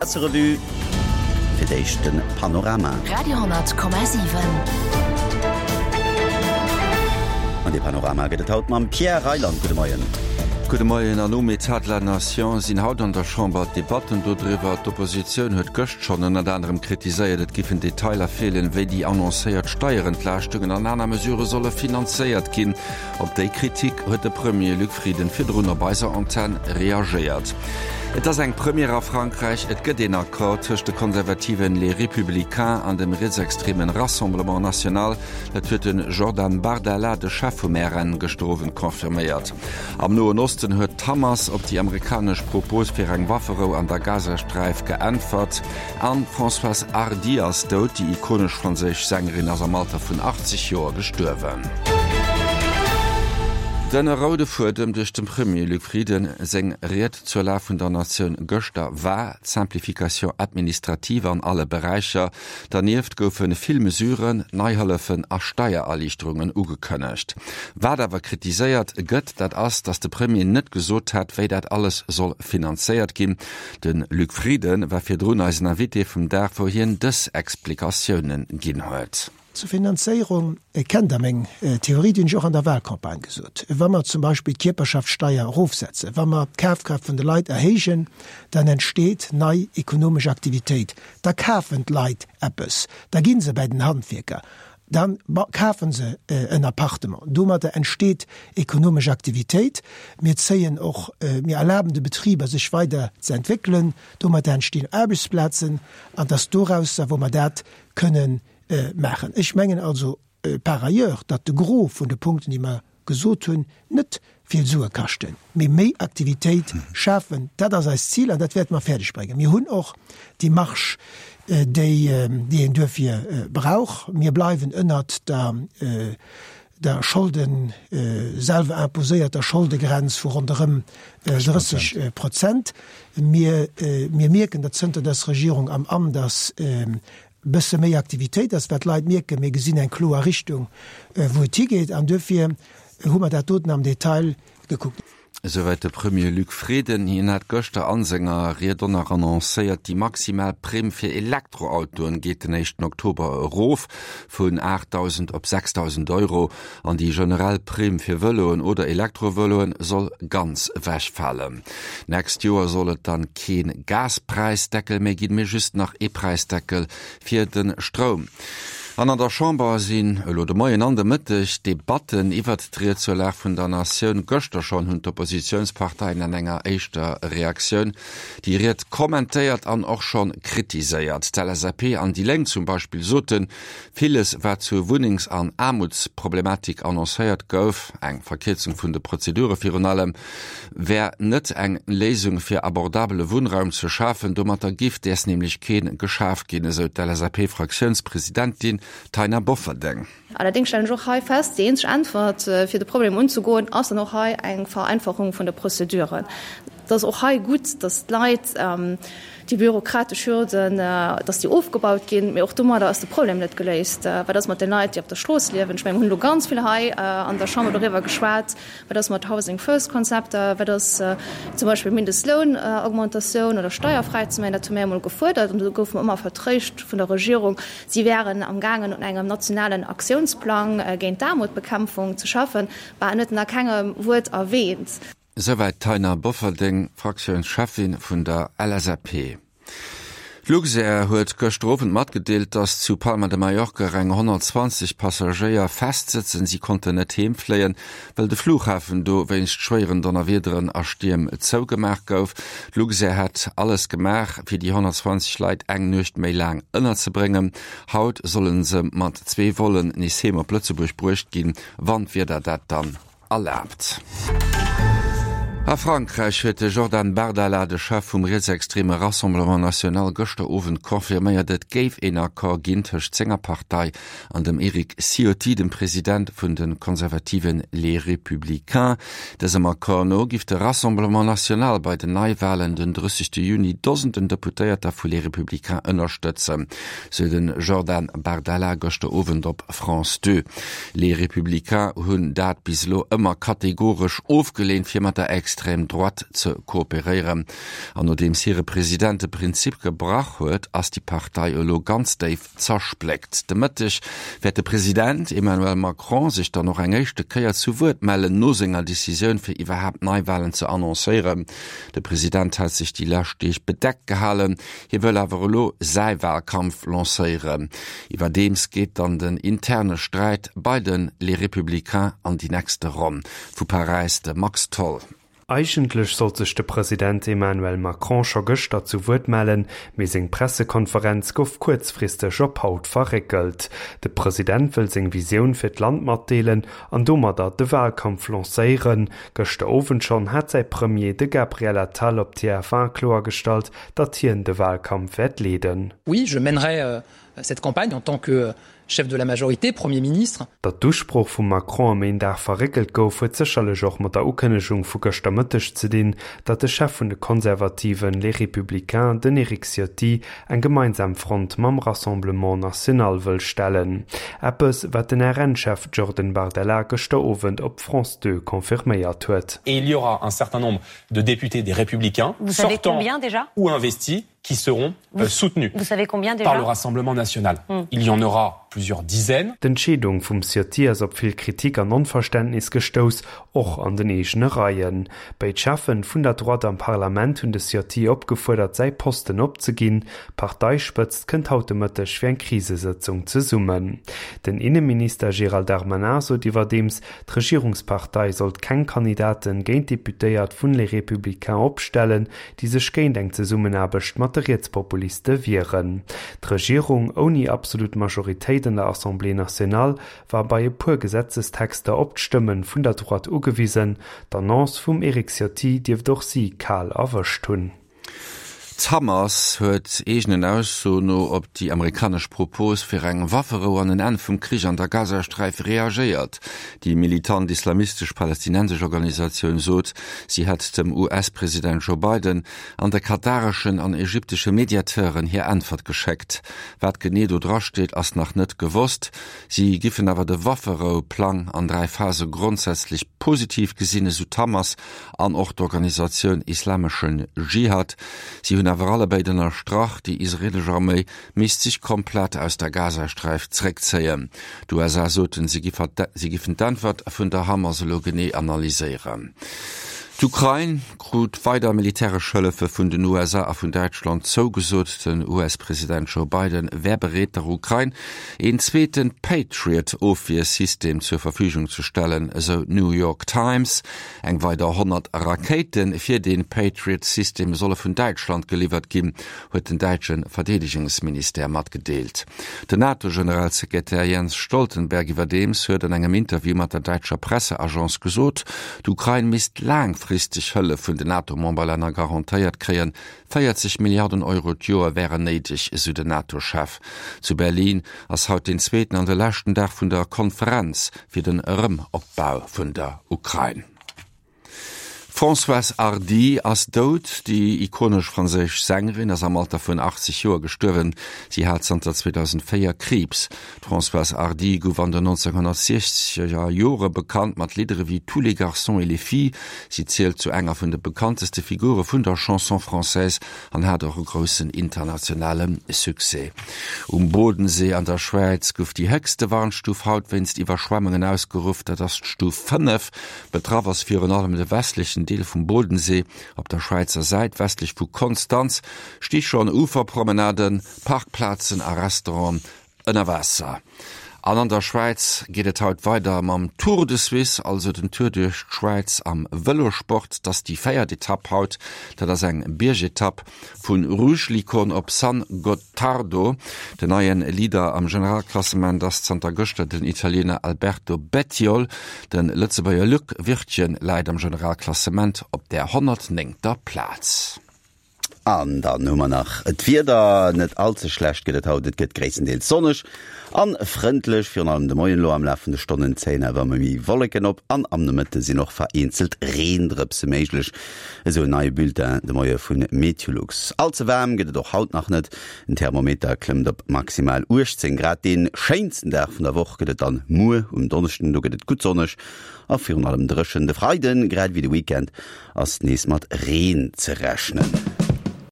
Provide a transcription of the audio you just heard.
Presserevue, fir d'éischt de Panorama. Radio 10,7. An dee Panorama gëtt et haut mam Pierre Reyland. Gudde Moien. Gudde Moien. An um Etat de la Nation sinn haut an der Chamber d'Debatten dodriwwer. D'Oppositioun huet gëscht schonn ënnert anerem kritiséiert, et giffen Detailer feelen, wéi déi annoncéiert Steierentlaaschtungen an aner Mesurë solle finanzéiert ginn. Op déi Kritik huet de Premier Luc Frieden virdrun op eiser Antenn reagéiert. Et ass eng Première a Frankräich, et gëtt een Accord tëscht de konservativen Les Républicains an dem rietsextremen Rassemblement National. Dat huet de Jordan Bardella, de Chef vum RN, gëschter Owend confirméiert. Am Noen Osten huet d'Hamas op déi amerikanesch Propos fir eng Wafferou an der Gazasträif geäntwert. An d'Françoise Hardy ass dout. Déi ikonesch franséisch Sängerin ass am Alter vun 80 Joer gestuerwen. Den roude Fuedem duerch dem Premier Luc Frieden seng Ried zur Lag vun der Natioun gëschter war d'Simplification administrative an alle Beräicher. Dernieft goufe vill Mesuren, nei Hëllefen a Steiererliichterungen ugekënnegt. Wat awer kritiséiert gëtt, dat ass, datt de Premier net gesot hätt, wéi dat alles soll finanzéiert ginn. De Luc Frieden war virdrun eisen Invité vum Dag, wou hien dës Explikatiounen ginn huet. Zur Finanzéierung kennt Der meng Theorie, déi hunn ech och an der Wahlcampagne gesot. Wa mer zum Beispill d'Kierperschaftssteier erofsetzen, wa mer d'Kafkraaft vun de Leit erhéijen, dann entsteet nei ekonomesch Aktivitéit, da kafen d'Leit eppes, da gi se bäi den Handwierker, Da kafe se en Appartement. Domadder entsteet ekonomesch Aktivitéit. Mir zéien och, mir erlaben de Betriber, sech weider ze entwéckelen. Domadder entstinn Aarbechtsplazen. An et ass dorausser, wou mer dat kënnen maachen. Ech mengen also par ailleurs, datt de Gros vun de Punkten, déi mer gesot hunn, net vill Sue kaschten, mee méi Aktivitéit schafen, dat ass eist Zil an dat wäerte mer fäerdeg bréngen. Mir hunn och déi Marge, déi een duerfir brauch. Mir bleiwen ënnert der der Scholden, selwer imposéierter Scholdegrenz vu ronderëm 30 Prozent. Mir mierken, datt zënter dës Regierung am Amt ass, bësse méi Aktivitéit ass, wat d'Leit mierken, mir gesinn eng kloer Richtung, wou et higeet an duerfir hu mer dat doten am Detail gekuckt. Esouwäit de Premier Luc Frieden. Hien hat gëschter a senger Ried och nach annoncéiert, déi maximal Primm fir Elektroautoen geet den éischten Oktober erof vun 8.000 op 6.000 Euro an déi generell Primm fir Vëloen oder Elektrovëloen soll ganz ewechfalen. D'nächst Joer soll et dann keen Gaspräisdeckel méi ginn, mee just nach ee Präisdeckel fir de Stroum. An an der Chamber sinn elo de Moien an de Mëtteg Debatten iwwert d'Ried zur Lag vun der Natioun. Gëschter schonn hunn d'Oppositiounsparteien an enger éischter Reaktioun déi Ried kommentéiert an och schonn kritiséiert. D'LSAP an déi Lénk zum Beispill soten, Villes, wat zur Wunnengs an Aarmutsproblematik annoncéiert gouf, eng Verkierzung vun de Prozedure virun allem, wär net eng Léisung fir abordabele Wunnraum ze schafen. Domatter giff däers nämlech kee geschaf ginn, esou d'LSAP-Fraktiounspresidentin Taina Bofferdeng. Allerdéngs stellen ech och hei fest, déi eenzeg Äntwert, fir de Problem unzegoen, ass dann och hei eng Vereinfachung vun de Prozeduren. Et ass och hei gutt, dass d'Leit déi bürokratesch Hürden, dass déi ofgebaut ginn. Mee och domadder ass de Problem net geléist. Wat ass mat den Leit, déi op der Strooss liewen? Ech mengen, mir hunn elo ganz vill hei an der Chamber doriwwer geschwat. Wat ass mat Housing First Konzepter? Wat ass zum Beispill Mindestlounaugmentatioun oder steierfräi ze maachen? Dat hu mir emol gefuerdert an do goufe mer ëmmer vertréischt vun der Regierung, si wären am gaangen un engem nationalen Aktiounsplang géint d'Aarmutbekämpfung ze schaffen. Bah, en huet en a kengem Wuert erwähnt. Esouwäit d'Taina Bofferding, Fraktiounscheffin vun der LSAP. D'Luxair huet gëschter Owend matgedeelt, datt zu Palma de Mallorca eng 120 Passagéier festsëtzen. Si konnten net heem fléien, well de Flughafen do wéinst schwéieren Donnerwiederen a Stierm zougemaach gouf. D'Luxair hätt alles gemaach, fir déi 120 Leit eng Nuecht méi laang ënnerzebréngen. Haut solle se mat zwee Vollen nees heem op Lëtzebuerg bruecht ginn, wann d'Wieder dat dann erlaabt. A Frankräich huet de Jordan Bardella, de Chef vum rietsextreme Rassemblement National, gëschter Owend confirméiert, et géif een Accord ginn tëscht senger Partei an dem Eric Ciotti, dem President vun de konservative Les Républicains. Dësem Accord no giff de Rassemblement National bei den Neiwalen den 30 Juni Dosenden Deputéierter vu Les Républicains ënnerstëtzen, sou de Jordan Bardella gëschter Owend op France 2. Les Républicains hunn dat bis elo ëmmer kategoresch ofgeleent, fir mat der. Extrême Droite ze kooperéieren. An nodeems hire President de Prinzip gebrach huet, ass déi Partei elo ganz déif zerspléckt. De Mëtteg wäert de President Emmanuel Macron sech dann och eng éischte Kéier zu Wuert mellen, no senger Decisioun fir iwwerhaapt Neiwalen ze annoncéieren. De President hat sech déi lescht Deeg bedeckt gehalen, hie wëll awer elo säi Walkampf lancéieren. Iwwerdeems geet dann den interne Sträit bei de Les Républicains an déi nächste Ronn. Vu Paräis de Max Tholl. Eigentlech sollt sech de President Emmanuel Macron scho gëschter zu Wuert mellen, mee seng Pressekonferenz gouf kuerzfristeg op haut verréckelt. De President wëll seng Visioun fir d'Land matdeelen an domadder de Walkampf lancéieren. Gëschter Owend schonn hat säi Premier, de Gabriel Attal, op TF1 kloergestallt, datt hien de Walkampf wäert leeden. Oui, je mènerai cette campagne en tant que Chef de la majorité, Premier ministre. Datt d'Usprooch vum Macron ëm een Dag verréckelt gouf, huet sécherlech och mat der Ukënnegung vu gëschter Mëtteg ze dinn, datt de Chef vun de Konservativen, Les Républicains, den Eric Ciotti, eng gemeinsam Front mam Rassemblement National wëll stellen. Eppes, wat den RN-Chef Jordan Bardella gëschter Owend op France 2 confirméiert huet. Et il y aura un certain nombre de députés des Républicains, sortants ou investis, qui seront euh, soutenus Vous savez combien déjà par le Rassemblement national. Mm. Il y en aura plusieurs dizaines. D'Entscheedung vum Ciotti ass op vill Kritik an Onverständnis gestouss, och an den eegene Reien. Béid Cheffen vun der Droite am Parlament hunn de Ciotti opgefuerdert säi Posten opzeginn. D'Parteispëtzt kënnt haut de Mëtteg fir eng Krisesëtzung zesummen. Den Inneminister Gérald Darmanin sot iwwerdeems, d'Regierungspartei sollt keng Kandidaten géint Deputéiert vun Les Républicains opstellen, déi sech géint eng Zesummenaarbecht mat de Rietspopuliste wieren. D'Regierung, ouni absolut Majoritéit an der Assemblée nationale, war bei e puer Gesetzestexter op d'Stëmme vun der Droite ugewisen. D'Annonce vum Eric Ciotti dierft och si kal erwëscht hunn. D'Hamas huet eegenen Aussoen no op déi amerikanesch Propos fir eng Wafferou an en Enn vum Krich an der Gazasträif reagéiert. Déi militant islamistesch palästinensesch Organisatioun sot, si hätt dem US-President Joe Biden an de katareschen an ägyptesche Mediateuren hir Äntwert geschéckt. Wat genee do dra steet, ass nach net gewosst. Si giffen awer de Wafferou-Plang an 3 Phase grondsätzlech positiv gesinn, esou d'Hamas an och d'Organisatioun Islameschen Dschihad. Si hunn awer allebéid ënnerstrach, déi israelesch Arméi misst sech komplett aus der Gazasträif zeréckzéien. D'USA soten, si giffen d'Äntwert vun der Hamas elo genee analyséieren. D'Ukrain krut weider militäresch Hëllefe vun den USA a vun Däitschland zougesot. Den US-President Joe Biden wär bereet, der Ukrain een zweete Patriot-Ofwiersystem zur Verfügung ze stellen, esou d'New York Times. Eng weider 100 Rakéite fir dee Patriot-System solle vun Däitschland geliwwert ginn. Huet den däitsche Verdeedegungsministère matgedeelt. Den NATO-Generalsekretär Jens Stoltenberg iwwerdeems huet an engem Interview mat der däitscher Presseagence gesot, d'Ukrain misst laangfristeg Hëllef vun den NATO-Memberlänner garantéiert kréien. 40 Milliarden Euro d'Joer wären néideg, esou den NATO-Chef. Zu Berlin ass haut den zweeten an de leschten Dag vun der Konferenz fir den Erëmopbau vun der Ukrain. D'Françoise Hardy ass dout. Déi ikonesch franséisch Sängerin ass am Alter vun 80 Joer gestuerwen. Si hat zanter 2004 Kriibs. D'Françoise Hardy gouf an den 1960er Jore bekannt mat Lidder ewéi Tous les garçons et les filles. Si zielt zu enger vun de bekannteste Figure vun der Chanson française an hat och e groussen internationale Succès. Um Bodensee an der Schwäiz gouf déi héchste Warnstuf haut wéinst Iwwerschwemmungen ausgeruff, dat ass d'Stuf 5. Betraff ass virun allem de westlechen Deel vum Bodensee. Op der Schwäizer Säit, westlech vu Konstanz, sti schonn Uferpromenaden, Parkplazen a Restauranten ënner Waasser. An an der Schwäiz geet et haut weider mam Tour de Suisse, also den Tour duerch d'Schwäiz am Vëlosport. Et ass déi véiert Etapp haut, dat ass eng Biergetapp. Vu Rüschlikon op San Gottardo. Den neie Leader am Generalklassement ass zanter gëschter den Italiener Alberto Bettiol. De Lëtzebuerger Luc Wirtgen läit am Generalklassement op der 109. Plaz. An dann hu mer nach d'Wieder, Net all ze schlecht gëtt et haut, et gëtt gréisstendeels sonneg an frëndlech. Virun allem de Moien elo am Laf vun de Stonnen zéien awer ëmmer méi Wolleken op an am Nomëtte sinn och vereenzelt Reendrëpse méiglech, esou en neie Bulletin de Moie vu Meteolux. All ze waarm gëtt et och haut nach net, den Thermometer klëmmt op maximal 18 Grad. Dee schéinsten Dag vun der Woch gëtt et dann muer um Donneschden, do gëtt et gutt sonneg a virun allem dréchen. De Freiden, grad ewéi de Weekend, ass nees mat Reen ze rechnen.